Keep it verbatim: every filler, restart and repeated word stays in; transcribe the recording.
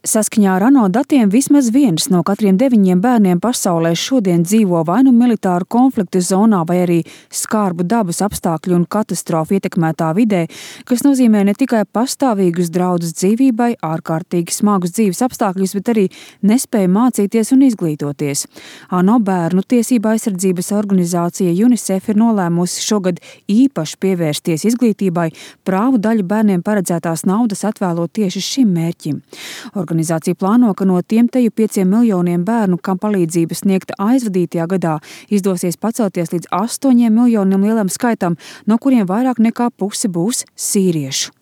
Saskaņā ar ANO datiem vismaz viens no katriem deviņiem bērniem pasaulē šodien dzīvo vai nu militāru konfliktu zonā, vai arī skarbu dabas apstākļu un katastrofu ietekmētā vidē, kas nozīmē ne tikai pastāvīgus draudus dzīvībai, ārkārtīgi smagus dzīves apstākļus, bet arī nespēju mācīties un izglītoties. ANO bērnu tiesība aizsardzības organizācija UNICEF ir nolēmusi šogad īpaši pievērsties izglītībai, prāvu daļu bērniem paredzētās naudas atvēlot tieši šim mērķim. Organizācija plāno, ka no tiem teju pieciem miljoniem bērnu, kam palīdzība sniegta aizvadītajā gadā, izdosies pacelties līdz astoņiem miljoniem lielam skaitam, no kuriem vairāk nekā puse būs sīriešu.